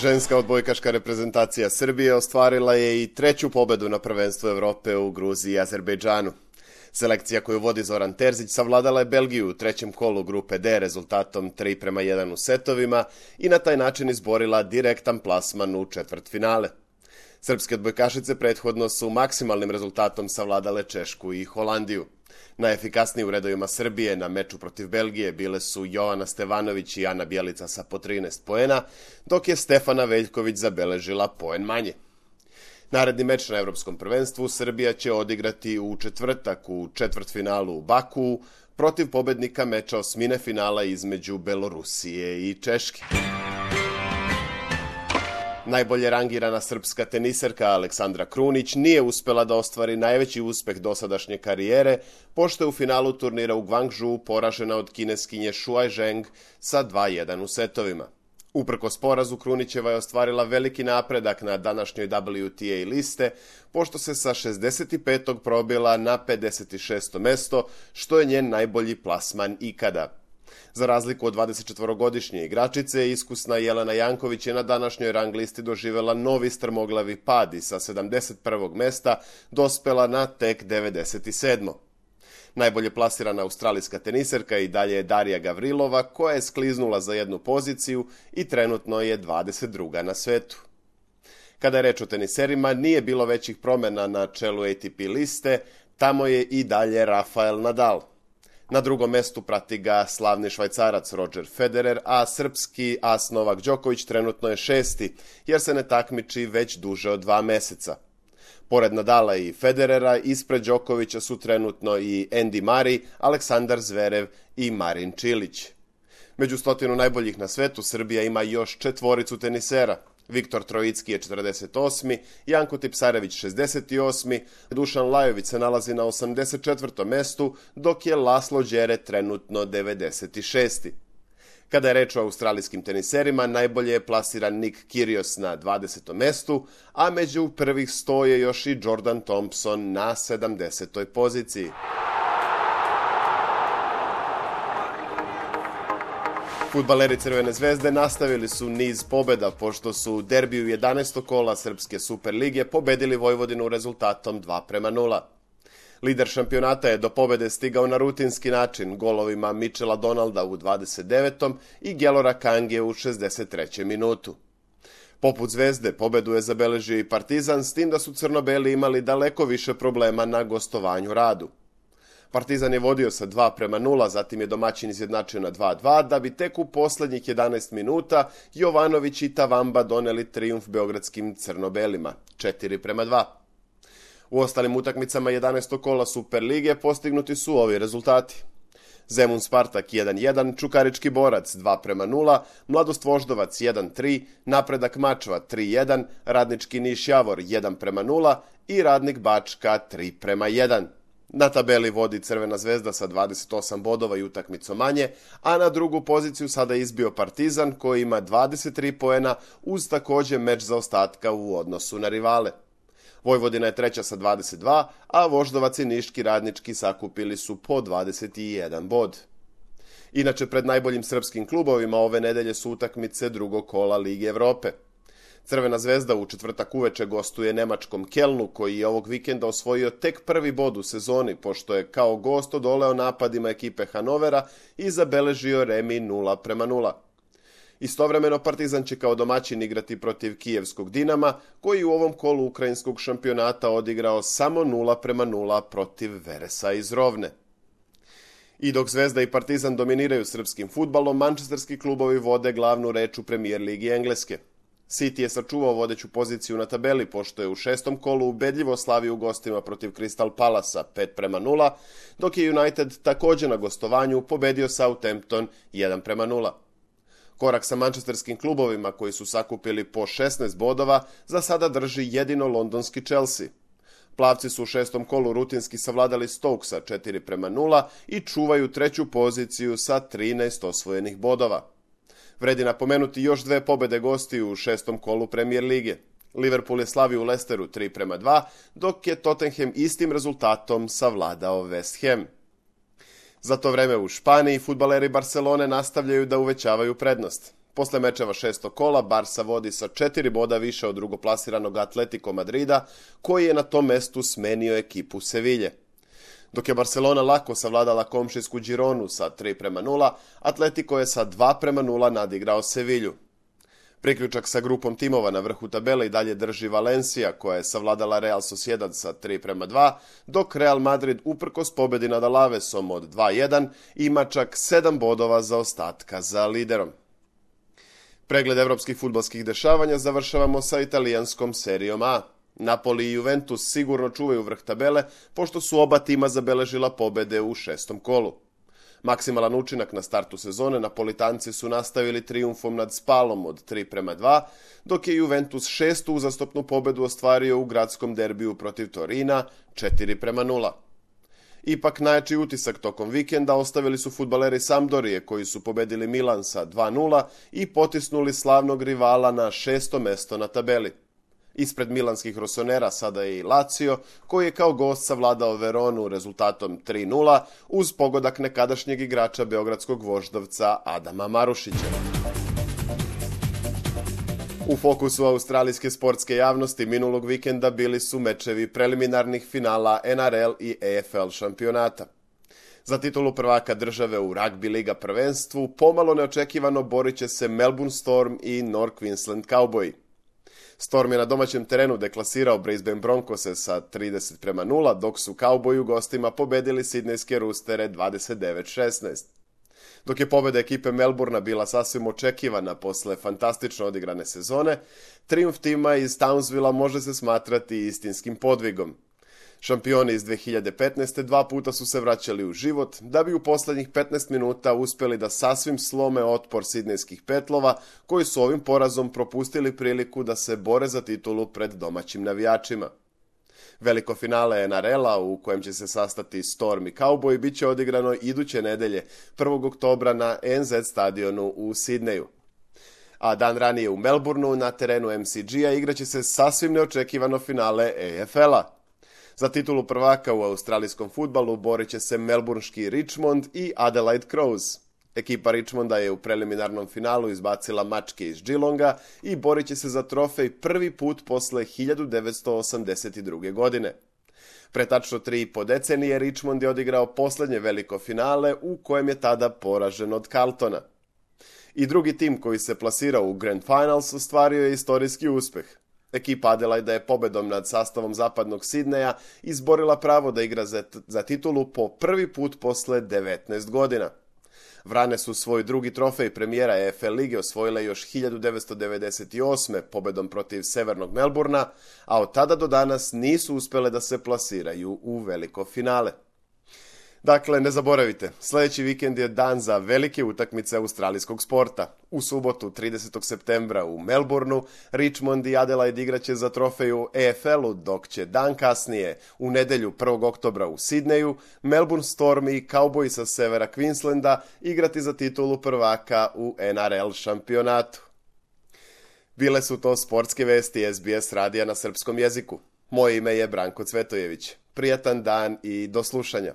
Ženska odbojkaška reprezentacija Srbije ostvarila je i treću pobedu na prvenstvu Evrope u Gruziji i Azerbejdžanu. Selekcija koju vodi Zoran Terzić savladala je Belgiju u trećem kolu grupe D rezultatom 3:1 u setovima i na taj način izborila direktan plasman u četvrtfinale. Srpske odbojkašice prethodno su maksimalnim rezultatom savladale Češku i Holandiju. Najefikasniji u redovima Srbije na meču protiv Belgije bile su Jovana Stevanović i Ana Bjelica sa po 13 poena, dok je Stefana Veljković zabeležila poen manje. Naredni meč na Evropskom prvenstvu Srbija će odigrati u četvrtak u četvrtfinalu u Bakuu protiv pobednika meča osmine finala između Belorusije i Češke. Najbolje rangirana srpska teniserka Aleksandra Krunić nije uspela da ostvari najveći uspeh dosadašnje karijere, pošto je u finalu turnira u Guangzhou poražena od kineskinje Shuai Zheng sa 2:1 u setovima. Uprkos porazu, Krunićeva je ostvarila veliki napredak na današnjoj WTA liste, pošto se sa 65. probila na 56. mesto, što je njen najbolji plasman ikada. Za razliku od 24-godišnje igračice, iskusna Jelena Janković je na današnjoj rang listi doživela novi strmoglavi pad i sa 71. mesta dospela na tek 97. Najbolje plasirana australijska teniserka i dalje je Darija Gavrilova, koja je skliznula za jednu poziciju i trenutno je 22. na svetu. Kada je reč o teniserima, nije bilo većih promjena na čelu ATP liste, tamo je i dalje Rafael Nadal. Na drugom mestu prati ga slavni Švajcarac Roger Federer, a srpski as Novak Đoković trenutno je 6. jer se ne takmiči već duže od 2 meseca. Pored Nadala i Federera, ispred Đokovića su trenutno i Andy Murray, Aleksandar Zverev i Marin Čilić. Među 100 najboljih na svetu Srbija ima još 4 tenisera. Viktor Trojicki je 48. Janko Tipsarević 68. Dušan Lajović se nalazi na 84. mestu, dok je Laslo Đere trenutno 96. Kada je reč o australijskim teniserima, najbolje je plasiran Nick Kyrgios na 20. mestu, a među prvih 100 je još i Jordan Thompson na 70. poziciji. Fudbaleri Crvene zvezde nastavili su niz pobeda, pošto su u derbiju 11. kola Srpske Superlige pobedili Vojvodinu rezultatom 2:0. Lider šampionata je do pobede stigao na rutinski način golovima Michela Donalda u 29. i Gelora Kange u 63. minutu. Poput Zvezde, pobedu je zabeležio i Partizan, s tim da su crnobeli imali daleko više problema na gostovanju Radu. Partizan je vodio sa 2:0, zatim je domaćin izjednačio na 2:2, da bi tek u poslednjih 11 minuta Jovanović i Tavamba doneli trijumf beogradskim crnobelima, 4:2. U ostalim utakmicama 11. kola Superlige postignuti su ovi rezultati. Zemun Spartak 1:1, Čukarički Borac 2:0, Mladost Voždovac 1:3, Napredak Mačva 3:1, Radnički Niš Javor 1:0 i Radnik Bačka 3:1. Na tabeli vodi Crvena zvezda sa 28 bodova i utakmicom manje, a na drugu poziciju sada izbio Partizan koji ima 23 poena uz također meč zaostatka u odnosu na rivale. Vojvodina je treća sa 22, a Voždovac i Niški Radnički sakupili su po 21 bod. Inače, pred najboljim srpskim klubovima ove nedelje su utakmice drugog kola Lige Evrope. Crvena zvezda u četvrtak uveče gostuje nemačkom Kelnu, koji je ovog vikenda osvojio tek prvi bod u sezoni, pošto je kao gost odoleo napadima ekipe Hanovera i zabeležio remi 0:0. Istovremeno Partizan će kao domaćin igrati protiv kijevskog Dinama, koji u ovom kolu ukrajinskog šampionata odigrao samo 0:0 protiv Veresa iz Rovne. I dok Zvezda i Partizan dominiraju srpskim fudbalom, mančesterski klubovi vode glavnu reč u Premier ligi Engleske. City je sačuvao vodeću poziciju na tabeli, pošto je u 6. kolu ubedljivo slavio u gostima protiv Crystal Palasa 5:0, dok je United također na gostovanju pobedio Southampton 1:0. Korak sa mančesterskim klubovima koji su sakupili po 16 bodova za sada drži jedino londonski Chelsea. Plavci su u 6. kolu rutinski savladali Stokesa 4:0 i čuvaju treću poziciju sa 13 osvojenih bodova. Vredi napomenuti još 2 pobede gostiju u 6. kolu Premier lige. Liverpool je slavio u Leicesteru 3:2, dok je Tottenham istim rezultatom savladao West Ham. Za to vreme u Španiji fudbaleri Barcelone nastavljaju da uvećavaju prednost. Posle mečeva 6. kola, Barsa vodi sa 4 boda više od drugoplasiranog Atletico Madrida, koji je na tom mestu smenio ekipu Sevilje. Dok je Barcelona lako savladala komšijsku Gironu sa 3:0, Atletico je sa 2:0 nadigrao Sevilju. Priključak sa grupom timova na vrhu tabele i dalje drži Valencia, koja je savladala Real Sociedad sa 3:2, dok Real Madrid uprkos pobedi nad Alavesom od 2:1 ima čak 7 bodova zaostatka za liderom. Pregled evropskih fudbalskih dešavanja završavamo sa italijanskom serijom A. Napoli i Juventus sigurno čuvaju vrh tabele, pošto su oba tima zabeležila pobede u 6. kolu. Maksimalan učinak na startu sezone Napolitanci su nastavili trijumfom nad Spalom od 3:2, dok je Juventus 6. uzastopnu pobedu ostvario u gradskom derbiju protiv Torina 4:0. Ipak najjači utisak tokom vikenda ostavili su fudbaleri Sampdorije, koji su pobedili Milan sa 2:0 i potisnuli slavnog rivala na 6. mesto na tabeli. Ispred milanskih rosonera sada je i Lazio, koji je kao gost savladao Veronu rezultatom 3:0 uz pogodak nekadašnjeg igrača beogradskog voždovca Adama Marušića. U fokusu australijske sportske javnosti minulog vikenda bili su mečevi preliminarnih finala NRL i AFL šampionata. Za titulu prvaka države u ragbi liga prvenstvu pomalo neočekivano borit će se Melbourne Storm i North Queensland Cowboy. Storm je na domaćem terenu deklasirao Brisbane Broncose sa 30:0, dok su Cowboyi u gostima pobedili sidnejske Roostere 29:16. Dok je pobeda ekipe Melbourna bila sasvim očekivana posle fantastično odigrane sezone, trijumf tima iz Townsvilla može se smatrati istinskim podvigom. Šampioni iz 2015. 2 puta su se vraćali u život, da bi u poslednjih 15 minuta uspeli da sasvim slome otpor sidnejskih petlova, koji su ovim porazom propustili priliku da se bore za titulu pred domaćim navijačima. Veliko finale NRL-a, u kojem će se sastati Storm i Cowboy, bit će odigrano iduće nedelje, 1. oktobra na NZ stadionu u Sidneju. A dan ranije u Melbourneu, na terenu MCG-a, igraće se sasvim neočekivano finale AFL-a. Za titulu prvaka u australijskom fudbalu borit će se melbourneški Richmond i Adelaide Crows. Ekipa Richmonda je u preliminarnom finalu izbacila mačke iz Geelonga i borit će se za trofej prvi put posle 1982. godine. Pre tačno 3,5 decenije Richmond je odigrao poslednje veliko finale, u kojem je tada poražen od Carltona. I drugi tim koji se plasirao u Grand Finals ostvario je istorijski uspeh. Ekipa Adelaide je pobedom nad sastavom zapadnog Sidneja izborila pravo da igra za titulu po prvi put posle 19 godina. Vrane su svoj drugi trofej premijera AFL lige osvojile još 1998. pobedom protiv Severnog Melbourna, a od tada do danas nisu uspele da se plasiraju u veliko finale. Dakle, ne zaboravite, sljedeći vikend je dan za velike utakmice australijskog sporta. U subotu 30. septembra u Melbourneu Richmond i Adelaide igraće za trofej u AFL-u, dok će dan kasnije, u nedelju 1. oktobra u Sidneju, Melbourne Storm i Cowboy sa severa Queenslanda igrati za titulu prvaka u NRL šampionatu. Bile su to sportske vesti SBS radija na srpskom jeziku. Moje ime je Branko Cvetojević. Prijatan dan i do slušanja.